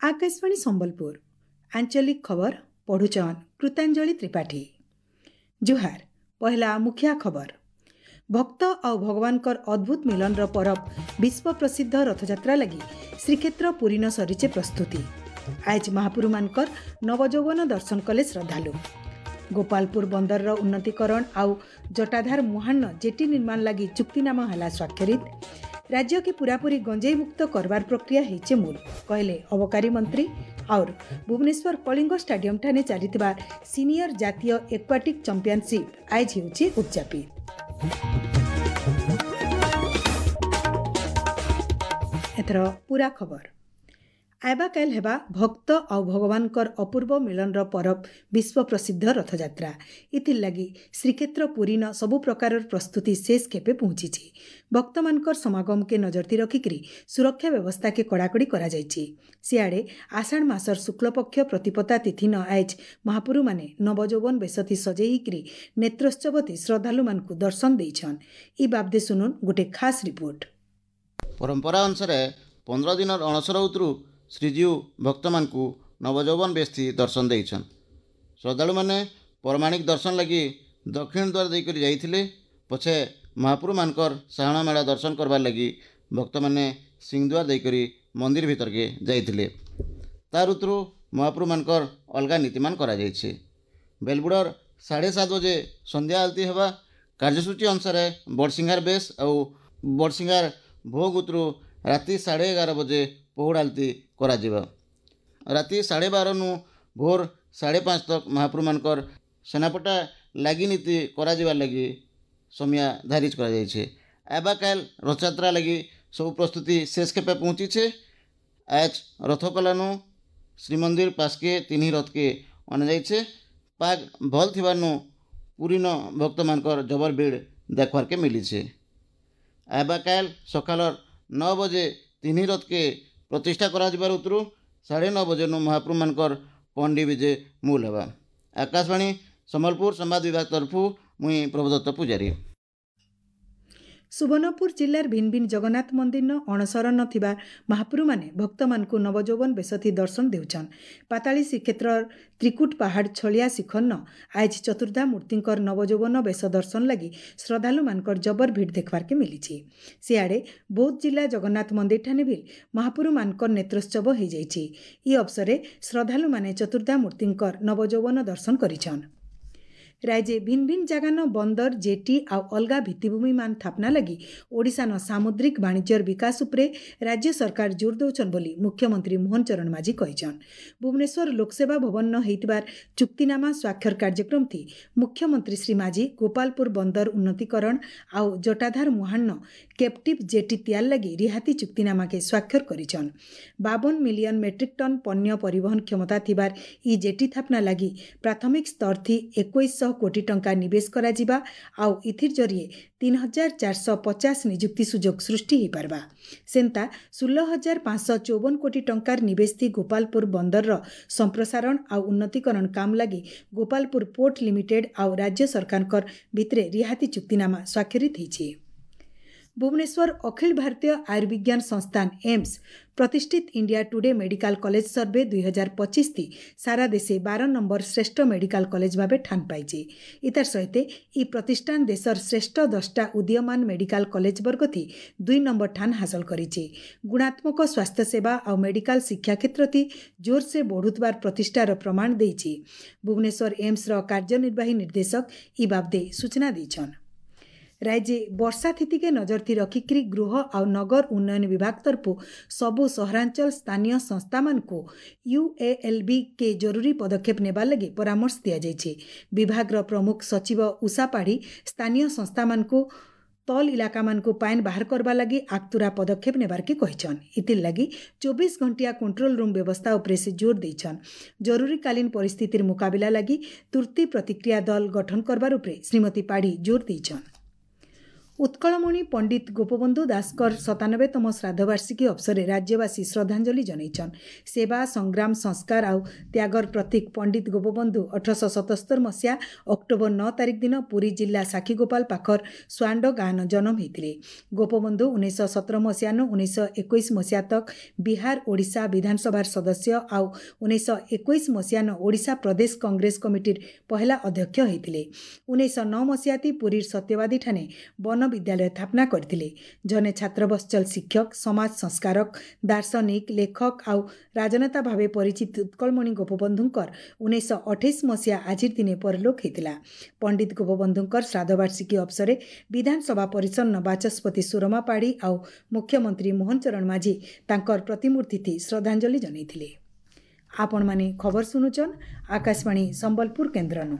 ଆକାଶବାଣୀ ସମ୍ବଲପୁର ଆଞ୍ଚଳିକ ଖବର ପଢୁଛନ୍ କୃତାଞ୍ଜଳି ତ୍ରିପାଠୀ। ଜୁହାର। ପହିଲା ମୁଖିଆ ଖବର। ଭକ୍ତ ଆଉ ଭଗବାନଙ୍କର ଅଦ୍ଭୁତ ମିଲନର ପରବ ବିଶ୍ୱ ପ୍ରସିଦ୍ଧ ରଥଯାତ୍ରା ଲାଗି ଶ୍ରୀକ୍ଷେତ୍ର ପୁରୀନ ସରିଛେ ପ୍ରସ୍ତୁତି। ଆଜ ମହାପୁରୁମାନଙ୍କର ନବଯୌବନ ଦର୍ଶନ କଲେ ଶ୍ରଦ୍ଧାଳୁ। ଗୋପାଳପୁର ବନ୍ଦରର ଉନ୍ନତିକରଣ ଆଉ ଜଟାଧାର ମୁହାଣ ଜେଟି ନିର୍ମାଣ ଲାଗି ଚୁକ୍ତିନାମା ହେଲା ସ୍ୱାକ୍ଷରିତ। ରାଜ୍ୟକେ ପୁରାପୁରି ଗଞ୍ଜେଇ ମୁକ୍ତ କରବାର ପ୍ରକ୍ରିୟା ହେଇଛେ ମୂଲ, କହିଲେ ଅବକାରୀ ମନ୍ତ୍ରୀ। ଆଉର ଭୁବନେଶ୍ୱର କଳିଙ୍ଗ ଷ୍ଟାଡିୟମଠାରେ ଚାଲିଥିବା ସିନିୟର ଜାତୀୟ ଏକ୍ୱାଟିକ୍ ଚାମ୍ପିୟନସିପ୍ ଆଇଜ ହେଉଛି ଉଦଯାପିତ। ଏଥର ପୁରା ଖବର। ଆଇବା କାଲ ହେବା ଭକ୍ତ ଆଉ ଭଗବାନଙ୍କର ଅପୂର୍ବ ମିଳନର ପରବ ବିଶ୍ୱ ପ୍ରସିଦ୍ଧ ରଥଯାତ୍ରା। ଏଥିର୍ଲାଗି ଶ୍ରୀକ୍ଷେତ୍ର ପୁରୀନ ସବୁ ପ୍ରକାରର ପ୍ରସ୍ତୁତି ଶେଷ ଖେପେ ପହଞ୍ଚିଛି। ଭକ୍ତମାନଙ୍କର ସମାଗମକେ ନଜରତି ରଖିକରି ସୁରକ୍ଷା ବ୍ୟବସ୍ଥାକେ କଡ଼ାକଡ଼ି କରାଯାଇଛି। ସିଆଡ଼େ ଆଷାଢ଼ ମାସର ଶୁକ୍ଳପକ୍ଷ ପ୍ରତିପତା ତିଥିନ ଆଏଜ ମହାପୁରୁମାନେ ନବଯୌବନ ବେଶତି ସଜେଇ ହେଇକରି ନେତ୍ରୋତ୍ସବତି ଶ୍ରଦ୍ଧାଳୁମାନଙ୍କୁ ଦର୍ଶନ ଦେଇଛନ୍। ଇ ବାବଦେ ଶୁନୁନ୍ ଗୋଟେ ଖାସ୍ ରିପୋର୍ଟ। ପରମ୍ପରା ଅନୁସାରେ 15 ଦିନର ଅଣସର ଉତରୁ ଶ୍ରୀଜୀଉ ଭକ୍ତମାନଙ୍କୁ ନବଯୌବନ ବେଶୀ ଦର୍ଶନ ଦେଇଛନ୍। ଶ୍ରଦ୍ଧାଳୁମାନେ ପରମାଣିକ ଦର୍ଶନ ଲାଗି ଦକ୍ଷିଣ ଦ୍ୱାର ଦେଇକରି ଯାଇଥିଲେ। ପଛେ ମହାପ୍ରଭୁମାନଙ୍କର ସାହାଣ ମେଳା ଦର୍ଶନ କରବାର୍ ଲାଗି ଭକ୍ତମାନେ ସିଂହଦ୍ୱାର ଦେଇକରି ମନ୍ଦିର ଭିତରକେ ଯାଇଥିଲେ। ତାର ଉତରୁ ମହାପ୍ରଭୁମାନଙ୍କର ଅଲଗା ନୀତିମାନ କରାଯାଇଛି। ବେଲବୁଡ଼ର 7:30 ବଜେ ସନ୍ଧ୍ୟା ଆଳତୀ ହେବା କାର୍ଯ୍ୟସୂଚୀ ଅନୁସାରେ ବଡ଼ସିଂହାର ବେଶ ଆଉ ବଡ଼ସିଂହାର ଭୋଗ ଉତରୁ ରାତି 11:30 ବଜେ ପହୁଡ଼ ଆଳତୀ କରାଯିବ। ରାତି 12:30ନୁ ଭୋର 5:30 ତକ୍ ମହାପ୍ରଭୁମାନଙ୍କର ସେନାପଟା ଲାଗି ନୀତି କରାଯିବାର ଲାଗି ସମୟ ଧାରିଜ କରାଯାଇଛି। ଆବା କାଲ ରଥଯାତ୍ରା ଲାଗି ସବୁ ପ୍ରସ୍ତୁତି ଶେଷ ଖେପେ ପହଞ୍ଚିଛେ। ଆଜ ରଥ କଲାନୁ ଶ୍ରୀମନ୍ଦିର ପାସ୍କେ ତିନି ରଥକେ ଅଣାଯାଇଛେ। ପାଗ ଭଲ ଥିବାନୁ ପୁରୀନ ଭକ୍ତମାନଙ୍କର ଜବର ଭିଡ଼ ଦେଖବାର୍କେ ମିଲିଛେ। ଆବା କାଲ ସକାଳର 9 ବଜେ ତିନି ରଥକେ ପ୍ରତିଷ୍ଠା କରାଯିବାର ଉତରୁ 9:30 ବଜେନୁ ମହାପ୍ରଭୁମାନଙ୍କର ପଣ୍ଡି ବିଜେ ମୂଲ ହେବା। ଆକାଶବାଣୀ ସମ୍ବଲପୁର ସମ୍ବାଦ ବିଭାଗ ତରଫୁ ମୁଇଁ ପ୍ରଭୁଦତ୍ତ ପୂଜାରୀ। ସୁବର୍ଣ୍ଣପୁର ଜିଲ୍ଲାର ଭିନ୍ନ ଭିନ୍ନ ଜଗନ୍ନାଥ ମନ୍ଦିରନ ଅଣସର ଥିବା ମହାପୁରୁମାନେ ଭକ୍ତମାନଙ୍କୁ ନବଯୌବନ ବେଶତି ଦର୍ଶନ ଦେଉଛନ୍। ପାତାଳୀ ଶ୍ରୀକ୍ଷେତ୍ର ତ୍ରିକୁଟ ପାହାଡ଼ ଛଳିଆ ଶିଖରନ ଆଜ ଚତୁର୍ଦ୍ଧା ମୂର୍ତ୍ତିଙ୍କର ନବଯୌବନ ବେଶ ଦର୍ଶନ ଲାଗି ଶ୍ରଦ୍ଧାଳୁମାନଙ୍କର ଜବର ଭିଡ଼ ଦେଖବାର୍କେ ମିଲିଛି। ସିଆଡ଼େ ବୌଦ୍ଧ ଜିଲ୍ଲା ଜଗନ୍ନାଥ ମନ୍ଦିରଠାନେ ବି ମହାପୁରୁମାନଙ୍କର ନେତ୍ରୋତ୍ସବ ହୋଇଯାଇଛି। ଇ ଅବସରରେ ଶ୍ରଦ୍ଧାଳୁମାନେ ଚତୁର୍ଦ୍ଧା ମୂର୍ତ୍ତିଙ୍କର ନବଯୌବନ ଦର୍ଶନ କରିଛନ୍। ରାଜ୍ୟ ଭିନ୍ନ ଭିନ୍ନ ଜାଗାନ ବନ୍ଦର, ଜେଟି ଆଉ ଅଲଗା ଭିତ୍ତିଭୂମି ମାନ ଥାପନା ଲାଗି ଓଡ଼ିଶାନ ସାମୁଦ୍ରିକ ବାଣିଜ୍ୟର ବିକାଶ ଉପରେ ରାଜ୍ୟ ସରକାର ଜୋର ଦେଉଛନ୍ ବୋଲି ମୁଖ୍ୟମନ୍ତ୍ରୀ ମୋହନ ଚରଣ ମାଝୀ କହିଛନ୍। ଭୁବନେଶ୍ୱର ଲୋକସେବା ଭବନ ହେଇଥିବାର ଚୁକ୍ତିନାମା ସ୍ୱାକ୍ଷର କାର୍ଯ୍ୟକ୍ରମଥି ମୁଖ୍ୟମନ୍ତ୍ରୀ ଶ୍ରୀ ମାଝୀ ଗୋପାଳପୁର ବନ୍ଦର ଉନ୍ନତିକରଣ ଆଉ ଜଟାଧାର ମୁହାଣ କେପ୍ଟିଭ୍ ଜେଟି ତିଆର ଲାଗି ରିହାତି ଚୁକ୍ତିନାମାକେ ସ୍ୱାକ୍ଷର କରିଛନ୍। 52 ମିଲିୟନ ମେଟ୍ରିକ୍ ଟନ୍ ପଣ୍ୟ ପରିବହନ କ୍ଷମତା ଥିବାର ଇ ଜେଟି ଥାପନା ଲାଗି ପ୍ରାଥମିକ ସ୍ତରଥି 2100 କୋଟି ଟଙ୍କା ନିବେଶ କରାଯିବା ଆଉ ଇଥିର୍ ଜରିଏ 3450 ନିଯୁକ୍ତି ସୁଯୋଗ ସୃଷ୍ଟି ହୋଇପାରବା। ସେନ୍ତା 16,554 କୋଟି ଟଙ୍କାର ନିବେଶ ଥି ଗୋପାଳପୁର ବନ୍ଦରର ସମ୍ପ୍ରସାରଣ ଆଉ ଉନ୍ନତିକରଣ କାମ ଲାଗି ଗୋପାଳପୁର ପୋର୍ଟ ଲିମିଟେଡ୍ ଆଉ ରାଜ୍ୟ ସରକାରଙ୍କର ଭିତରେ ରିହାତି ଚୁକ୍ତିନାମା ସ୍ୱାକ୍ଷରିତ ହୋଇଛି। ଭୁବନେଶ୍ୱର ଅଖିଳ ଭାରତୀୟ ଆୟୁର୍ବିଜ୍ଞାନ ସଂସ୍ଥାନ ଏମ୍ସ ପ୍ରତିଷ୍ଠିତ India today medical college survey 2025 ସାରା ଦେଶେ 12 ନମ୍ବର ଶ୍ରେଷ୍ଠ ମେଡିକାଲ କଲେଜ ଭାବେ ଠାନ ପାଇছে। ଇତାର ସହିତ ଇ ପ୍ରତିଷ୍ଠାନ ଦେଶର ଶ୍ରେଷ୍ଠ 10ଟା ଉଦୀୟମାନ ମେଡିକାଲ କଲେଜ ବର୍ଗଥି 2 ନମ୍ବର ଠାନ ହାସଲ କରିଛି। ଗୁଣାତ୍ମକ ସ୍ୱାସ୍ଥ୍ୟସେବା ଆଉ ମେଡିକାଲ ଶିକ୍ଷା କ୍ଷେତ୍ରଥି ଜୋରସେ ବଢ଼ୁଥିବାର ପ୍ରତିଷ୍ଠାର ପ୍ରମାଣ ଦେଇଛି। ଭୁବନେଶ୍ୱର ଏମ୍ସର କାର୍ଯ୍ୟନିର୍ବାହୀ ନିର୍ଦ୍ଦେଶକ ଇ ବାବଦେ ସୂଚନା ଦେଇଛନ୍। ରାଜ୍ୟ ବର୍ଷା ସ୍ଥିତିକେ ନଜରଥି ରଖିକରି ଗୃହ ଆଉ ନଗର ଉନ୍ନୟନ ବିଭାଗ ତରଫୁ ସବୁ ସହରାଞ୍ଚଳ ସ୍ଥାନୀୟ ସଂସ୍ଥାମାନଙ୍କୁ ୟୁଏଏଲ୍ବି କେ ଜରୁରୀ ପଦକ୍ଷେପ ନେବାର ଲାଗି ପରାମର୍ଶ ଦିଆଯାଇଛି। ବିଭାଗର ପ୍ରମୁଖ ସଚିବ ଉଷା ପାଢ଼ୀ ସ୍ଥାନୀୟ ସଂସ୍ଥାମାନଙ୍କୁ ତଲ ଇଲାକାମାନଙ୍କୁ ପାଏନ୍ ବାହାର କରବା ଲାଗି ଆଗତୁରା ପଦକ୍ଷେପ ନେବାର୍କେ କହିଛନ୍। ଇଥିର୍ ଲାଗି 24 ଘଣ୍ଟିଆ କଣ୍ଟ୍ରୋଲ ରୁମ୍ ବ୍ୟବସ୍ଥା ଉପରେ ସେ ଜୋର ଦେଇଛନ୍। ଜରୁରୀକାଳୀନ ପରିସ୍ଥିତିର ମୁକାବିଲା ଲାଗି ତୁର୍ତ୍ତି ପ୍ରତିକ୍ରିୟା ଦଳ ଗଠନ କରବାର ଉପରେ ଶ୍ରୀମତୀ ପାଢ଼ୀ ଜୋର ଦେଇଛନ୍। ଉତ୍କଳମଣି ପଣ୍ଡିତ ଗୋପବନ୍ଧୁ ଦାସଙ୍କର 97ତମ ଶ୍ରାଦ୍ଧବାର୍ଷିକୀ ଅବସରରେ ରାଜ୍ୟବାସୀ ଶ୍ରଦ୍ଧାଞ୍ଜଳି ଜଣାଇଛନ୍। ସେବା, ସଂଗ୍ରାମ, ସଂସ୍କାର ଆଉ ତ୍ୟାଗର ପ୍ରତୀକ ପଣ୍ଡିତ ଗୋପବନ୍ଧୁ 1877 ମସିହା ଅକ୍ଟୋବର 9 ତାରିଖ ଦିନ ପୁରୀ ଜିଲ୍ଲା ସାକ୍ଷୀଗୋପାଳ ପାଖର ସୁଆଣ୍ଡ ଗାଁନ ଜନ୍ମ ହୋଇଥିଲେ। ଗୋପବନ୍ଧୁ 1917 ମସିହାନୁ 1921 ମସିହା ତକ୍ ବିହାର ଓଡ଼ିଶା ବିଧାନସଭାର ସଦସ୍ୟ ଆଉ 1921 ମସିହାନ ଓଡ଼ିଶା ପ୍ରଦେଶ କଂଗ୍ରେସ କମିଟିର ପହେଲା ଅଧ୍ୟକ୍ଷ ହୋଇଥିଲେ। 1909 ମସିହାତି ପୁରୀର ସତ୍ୟବାଦୀଠାନେ ବନ ବିଦ୍ୟାଳୟ ସ୍ଥାପନା କରିଥିଲେ। ଜଣେ ଛାତ୍ରବତ୍ସଳ ଶିକ୍ଷକ, ସମାଜ ସଂସ୍କାରକ, ଦାର୍ଶନିକ, ଲେଖକ ଆଉ ରାଜନେତା ଭାବେ ପରିଚିତ ଉତ୍କଳମଣି ଗୋପବନ୍ଧୁଙ୍କର 1928 ମସିହା ଆଜିର ଦିନେ ପରଲୋକ ହୋଇଥିଲା। ପଣ୍ଡିତ ଗୋପବନ୍ଧୁଙ୍କର ଶ୍ରାଦ୍ଧବାର୍ଷିକୀ ଅବସରରେ ବିଧାନସଭା ପରିସନ୍ନ ବାଚସ୍ପତି ସୁରମା ପାଢ଼ୀ ଆଉ ମୁଖ୍ୟମନ୍ତ୍ରୀ ମୋହନ ଚରଣ ମାଝୀ ତାଙ୍କର ପ୍ରତିମୂର୍ତ୍ତି ଶ୍ରଦ୍ଧାଞ୍ଜଳି ଜଣାଇଥିଲେ। ଆପଣମାନେ ଖବର ଶୁଣୁଛନ୍ ଆକାଶବାଣୀ ସମ୍ବଲପୁର କେନ୍ଦ୍ରନୁ।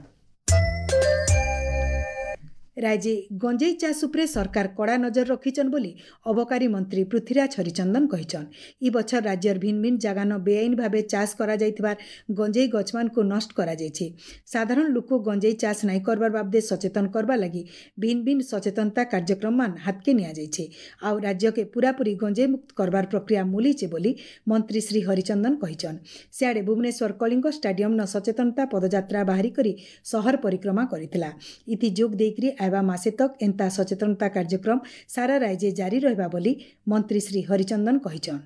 ରାଜ୍ୟ ଗଞ୍ଜେଇ ଚାଷ ଉପରେ ସରକାର କଡ଼ା ନଜର ରଖିଛନ୍ ବୋଲି ଅବକାରୀ ମନ୍ତ୍ରୀ ପୃଥ୍ୱୀରାଜ ହରିଚନ୍ଦନ କହିଛନ୍। ଇ ବଛର ରାଜ୍ୟର ଭିନ୍ନ ଭିନ୍ନ ଜାଗାନ ବେଆଇନ ଭାବେ ଚାଷ କରାଯାଇଥିବାର ଗଞ୍ଜେଇ ଗଛମାନଙ୍କୁ ନଷ୍ଟ କରାଯାଇଛି। ସାଧାରଣ ଲୋକ ଗଞ୍ଜେଇ ଚାଷ ନାଇଁ କରବାର ବାବଦେ ସଚେତନ କରବା ଲାଗି ଭିନ୍ନ ଭିନ୍ନ ସଚେତନତା କାର୍ଯ୍ୟକ୍ରମମାନ ହାତକେ ନିଆଯାଇଛି ଆଉ ରାଜ୍ୟକେ ପୁରାପୁରି ଗଞ୍ଜେଇ ମୁକ୍ତ କରବାର ପ୍ରକ୍ରିୟା ମୂଲିଛେ ବୋଲି ମନ୍ତ୍ରୀ ଶ୍ରୀ ହରିଚନ୍ଦନ କହିଛନ୍। ସିଆଡ଼େ ଭୁବନେଶ୍ୱର କଳିଙ୍ଗ ଷ୍ଟାଡିୟମ୍ନ ସଚେତନତା ପଦଯାତ୍ରା ବାହାରି କରି ସହର ପରିକ୍ରମା କରିଥିଲା। ଇତି ଯୋଗ ଦେଇକରି ଆଇବା ମାସେ ତକ୍ ଏନ୍ତା ସଚେତନତା କାର୍ଯ୍ୟକ୍ରମ ସାରା ରାଜ୍ୟ ଜାରି ରହିବା ବୋଲି ମନ୍ତ୍ରୀ ଶ୍ରୀ ହରିଚନ୍ଦନ କହିଛନ୍।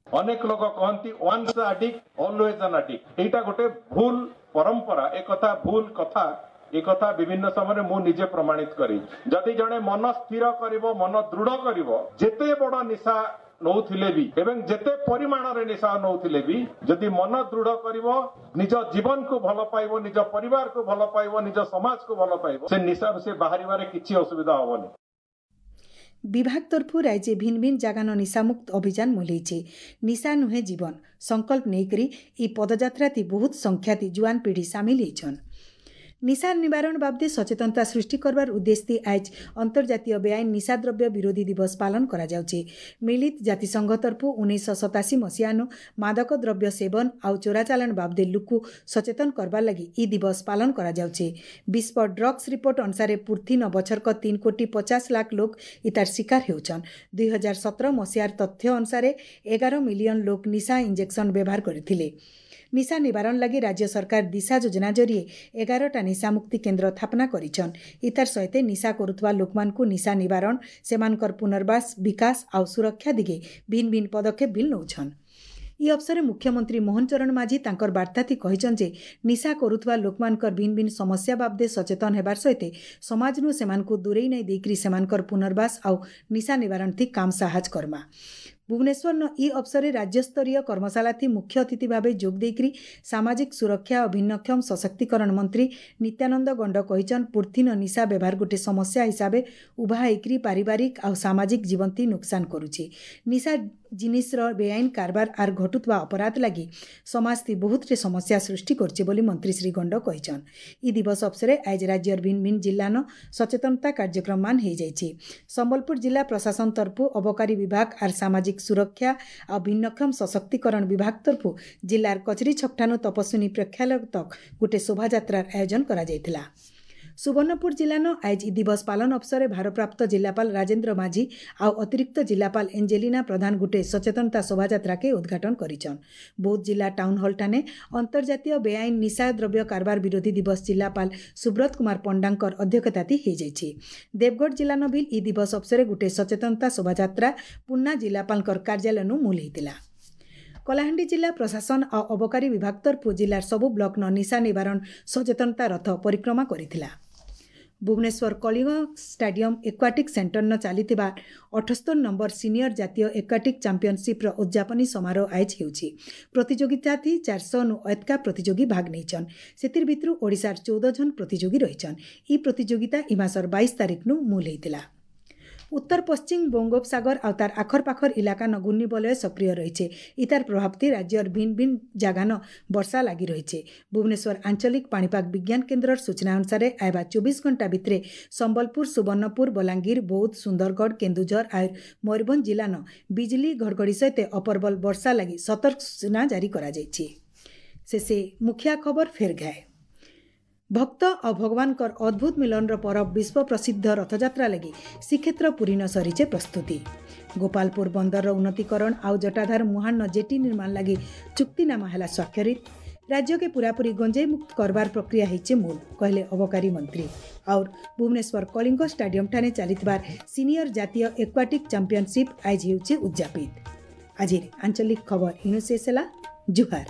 ଅନେକ ଲୋକ କହନ୍ତି once addict always an addict। ଏଇଟା ଗୋଟେ ଭୁଲ ପରମ୍ପରା, ଏକଥା ଭୁଲ କଥା। ଏ କଥା ବିଭିନ୍ନ ସମୟରେ ମୁଁ ନିଜେ ପ୍ରମାଣିତ କରିଛି। ଯଦି ଜଣେ ମନ ସ୍ଥିର କରିବ, ମନ ଦୃଢ କରିବ, ଯେତେ ବଡ ନିଶା ନଉଥିଲେ ବି ଏବଂ ଯେତେ ପରିମାଣରେ ନିଶା ନଉଥିଲେ ବି ଯଦି ମନ ଦୃଢ କରିବ, ନିଜ ଜୀବନକୁ ଭଲ ପାଇବ, ନିଜ ପରିବାରକୁ ଭଲ ପାଇବ, ନିଜ ସମାଜକୁ ଭଲ ପାଇବ, ସେ ନିଶାରୁ ସେ ବାହାରିବାରେ କିଛି ଅସୁବିଧା ହବନି। ବିଭାଗ ତରଫରୁ ରାଜ୍ୟ ଭିନ୍ନ ଭିନ୍ନ ଜାଗାନ ନିଶାମୁକ୍ତ ଅଭିଯାନ ମୁଲେଇছে। ନିଶା ନୁହେଁ ଜୀବନ ସଂକଳ୍ପ ନେଇକରି ଇ ପଦଯାତ୍ରାତି ବହୁତ ସଂଖ୍ୟାତି ଜୁଆନ ପିଢ଼ି ସାମିଲ ହେଇଛନ୍। ନିଶା ନିବାରଣ ବାବଦେ ସଚେତନତା ସୃଷ୍ଟି କରବାର ଉଦ୍ଦେଶ୍ୟ ଆଜ ଅନ୍ତର୍ଜାତୀୟ ବେଆଇନ ନିଶାଦ୍ରବ୍ୟ ବିରୋଧୀ ଦିବସ ପାଳନ କରାଯାଉଛି। ମିଳିତ ଜାତିସଂଘ ତରଫରୁ 1987 ମସିହାନୁ ମାଦକ ଦ୍ରବ୍ୟ ସେବନ ଆଉ ଚୋରାଚାଲାଣ ବାବଦେ ଲୁକୁ ସଚେତନ କରବାର ଲାଗି ଇ ଦିବସ ପାଳନ କରାଯାଉଛି। ବିଶ୍ୱ ଡ୍ରଗ୍ସ ରିପୋର୍ଟ ଅନୁସାରେ ପୁର୍ଥିନ ବଛରକ 3 କୋଟି 50 ଲାଖ ଲୋକ ଇତାର ଶିକାର ହେଉଛନ୍। 2017 ମସିହାର ତଥ୍ୟ ଅନୁସାରେ 11 ମିଲିୟନ ଲୋକ ନିଶା ଇଞ୍ଜେକ୍ସନ ବ୍ୟବହାର କରିଥିଲେ। ନିଶା ନିବାରଣ ଲାଗି ରାଜ୍ୟ ସରକାର ଦିଶା ଯୋଜନା ଜରିଏ 11ଟା ନିଶାମୁକ୍ତି କେନ୍ଦ୍ର ସ୍ଥାପନା କରିଛନ୍। ଇତାର ସହିତ ନିଶା କରୁଥିବା ଲୋକମାନଙ୍କୁ ନିଶା ନିବାରଣ, ସେମାନଙ୍କର ପୁନର୍ବାସ, ବିକାଶ ଆଉ ସୁରକ୍ଷା ଦିଗେ ଭିନ୍ନ ଭିନ୍ନ ପଦକ୍ଷେପ ବି ନେଉଛନ୍। ଇ ଅବସରରେ ମୁଖ୍ୟମନ୍ତ୍ରୀ ମୋହନ ଚରଣ ମାଝୀ ତାଙ୍କର ବାର୍ତ୍ତାଥି କହିଛନ୍ ଯେ ନିଶା କରୁଥିବା ଲୋକମାନଙ୍କର ଭିନ୍ନ ଭିନ୍ନ ସମସ୍ୟା ବାବଦେ ସଚେତନ ହେବାର ସହିତ ସମାଜନୁ ସେମାନଙ୍କୁ ଦୂରେଇ ନାଇଁ ଦେଇକରି ସେମାନଙ୍କର ପୁନର୍ବାସ ଆଉ ନିଶା ନିବାରଣ ଥି କାମ ସାହାଯ୍ୟ କର୍ମା। ଭୁବନେଶ୍ୱରନ ଇ ଅବସରରେ ରାଜ୍ୟସ୍ତରୀୟ କର୍ମଶାଳାଥି ମୁଖ୍ୟ ଅତିଥି ଭାବେ ଯୋଗ ଦେଇକରି ସାମାଜିକ ସୁରକ୍ଷା ଓ ଭିନ୍ନକ୍ଷମ ସଶକ୍ତିକରଣ ମନ୍ତ୍ରୀ ନିତ୍ୟାନନ୍ଦ ଗଣ୍ଡ କହିଛନ୍, ପୁର୍ଥିନ ନିଶା ବ୍ୟବହାର ଗୋଟେ ସମସ୍ୟା ହିସାବେ ଉଭା ହେଇକରି ପାରିବାରିକ ଆଉ ସାମାଜିକ ଜୀବନଥି ନୁକସାନ କରୁଛି। ନିଶା ଜିନିଷର ବେଆଇନ କାରବାର ଆର୍ ଘଟୁଥିବା ଅପରାଧ ଲାଗି ସମାଜଥି ବହୁତଟେ ସମସ୍ୟା ସୃଷ୍ଟି କରୁଛି ବୋଲି ମନ୍ତ୍ରୀ ଶ୍ରୀ ଗଣ୍ଡ କହିଛନ୍। ଇ ଦିବସ ଅବସରରେ ଆଜ ରାଜ୍ୟର ଭିନ୍ନ ଭିନ୍ନ ଜିଲ୍ଲାନ ସଚେତନତା କାର୍ଯ୍ୟକ୍ରମମାନ ହେଇଯାଇଛି। ସମ୍ବଲପୁର ଜିଲ୍ଲା ପ୍ରଶାସନ ତରଫରୁ ଅବକାରୀ ବିଭାଗ ଆର୍ ସାମାଜିକ ସୁରକ୍ଷା ଆଉ ଭିନ୍ନକ୍ଷମ ସଶକ୍ତିକରଣ ବିଭାଗ ତରଫରୁ ଜିଲ୍ଲାର କଚେରୀ ଛକଠାନୁ ତପସ୍ୱିନୀ ପ୍ରେକ୍ଷାଳୟ ତକ୍ ଗୋଟେ ଶୋଭାଯାତ୍ରାର ଆୟୋଜନ କରାଯାଇଥିଲା। ସୁବର୍ଣ୍ଣପୁର ଜିଲ୍ଲାନ ଆଜ ଇ ଦିବସ ପାଳନ ଅବସରରେ ଭାରପ୍ରାପ୍ତ ଜିଲ୍ଲାପାଳ ରାଜେନ୍ଦ୍ର ମାଝୀ ଆଉ ଅତିରିକ୍ତ ଜିଲ୍ଲାପାଳ ଏଞ୍ଜେଲିନା ପ୍ରଧାନ ଗୋଟେ ସଚେତନତା ଶୋଭାଯାତ୍ରାକେ ଉଦ୍ଘାଟନ କରିଛନ୍। ବୌଦ୍ଧ ଜିଲ୍ଲା ଟାଉନ୍ ହଲ୍ଠାନେ ଅନ୍ତର୍ଜାତୀୟ ବେଆଇନ ନିଶା ଦ୍ରବ୍ୟ କାରବାର ବିରୋଧୀ ଦିବସ ଜିଲ୍ଲାପାଳ ସୁବ୍ରତ କୁମାର ପଣ୍ଡାଙ୍କର ଅଧ୍ୟକ୍ଷତାତି ହେଇଯାଇଛି। ଦେବଗଡ଼ ଜିଲ୍ଲାନ ବି ଇ ଦିବସ ଅବସରରେ ଗୋଟେ ସଚେତନତା ଶୋଭାଯାତ୍ରା ପୁନା ଜିଲ୍ଲାପାଳଙ୍କର କାର୍ଯ୍ୟାଳୟନୁ ମୂଲ ହେଇଥିଲା। କଳାହାଣ୍ଡି ଜିଲ୍ଲା ପ୍ରଶାସନ ଆଉ ଅବକାରୀ ବିଭାଗ ତରଫରୁ ଜିଲ୍ଲାର ସବୁ ବ୍ଲକନ ନିଶା ନିବାରଣ ସଚେତନତା ରଥ ପରିକ୍ରମା କରିଥିଲା। ଭୁବନେଶ୍ୱର କଳିଙ୍ଗ ଷ୍ଟାଡିୟମ ଏକ୍ୱାଟିକ୍ ସେଣ୍ଟରନ ଚାଲିଥିବା 78 ନମ୍ବର ସିନିୟର ଜାତୀୟ ଏକ୍ୱାଟିକ୍ ଚାମ୍ପିଅନସିପ୍ର ଉଦ୍ଯାପନୀ ସମାରୋହ ଆୟୋଜ ହେଉଛି। ପ୍ରତିଯୋଗିତାଥି 400ନୁ ଅଏତକା ପ୍ରତିଯୋଗୀ ଭାଗ ନେଇଛନ୍। ସେଥିର୍ ଭିତରୁ ଓଡ଼ିଶାର 14 ଜଣ ପ୍ରତିଯୋଗୀ ରହିଛନ୍। ଇ ପ୍ରତିଯୋଗିତା ଇ ମାସର 22 ତାରିଖନୁ ମୂଲ ହେଇଥିଲା। ଉତ୍ତର ପଶ୍ଚିମ ବଙ୍ଗୋପସାଗର ଆଉ ତାର ଆଖରପାଖର ଇଲାକାନ ଘୂର୍ଣ୍ଣିବଳୟ ସକ୍ରିୟ ରହିছে। ଇତାର ପ୍ରଭାବତି ରାଜ୍ୟର ଭିନ୍ନ ଭିନ୍ନ ଜାଗାନ ବର୍ଷା ଲାଗି ରହିছে। ଭୁବନେଶ୍ୱର ଆଞ୍ଚଳିକ ପାଣିପାଗ ବିଜ୍ଞାନ କେନ୍ଦ୍ରର ସୂଚନା ଅନୁସାରେ ଆଇବା 24 ଘଣ୍ଟା ଭିତରେ ସମ୍ବଲପୁର, ସୁବର୍ଣ୍ଣପୁର, ବଲାଙ୍ଗୀର, ବୌଦ୍ଧ, ସୁନ୍ଦରଗଡ଼, କେନ୍ଦୁଝର ଆଉ ମୟୂରଭଞ୍ଜ ଜିଲ୍ଲାନ ବିଜୁଳି ଘଡ଼ଘଡ଼ି ସହିତ ଅପରବଲ ବର୍ଷା ଲାଗି ସତର୍କ ସୂଚନା ଜାରି କରାଯାଇଛି। ଶେଷେ ମୁଖିଆ ଖବର ଫେର୍ ଘାଏ। ଭକ୍ତ ଆଉ ଭଗବାନଙ୍କର ଅଦ୍ଭୁତ ମିଲନର ପରବ ବିଶ୍ୱ ପ୍ରସିଦ୍ଧ ରଥଯାତ୍ରା ଲାଗି ଶ୍ରୀକ୍ଷେତ୍ର ପୁରୀନ ସରିଛେ ପ୍ରସ୍ତୁତି। ଗୋପାଳପୁର ବନ୍ଦରର ଉନ୍ନତିକରଣ ଆଉ ଜଟାଧାର ମୁହାଣ ଜେଟି ନିର୍ମାଣ ଲାଗି ଚୁକ୍ତିନାମା ହେଲା ସ୍ୱାକ୍ଷରିତ। राज्य के पूरापूरी गंजेई मुक्त करबार प्रक्रिया ହେଇଛେ ମୂଳ, କହିଲେ ଅବକାରୀ ମନ୍ତ୍ରୀ। और भुवनेश्वर कलिंग स्टाडियम ठाने ଚାଲିଥିବାର ସିନିୟର ଜାତୀୟ ଏକ୍ୱାଟିକ୍ ଚାମ୍ପିୟନସିପ୍ ଆଜି ହେଉଛି ଉଦଯାପିତ। ଆଜିର ଆଞ୍ଚଳିକ ଖବର ଇନୁ ଶେଷ ହେଲା। ଜୁହାର।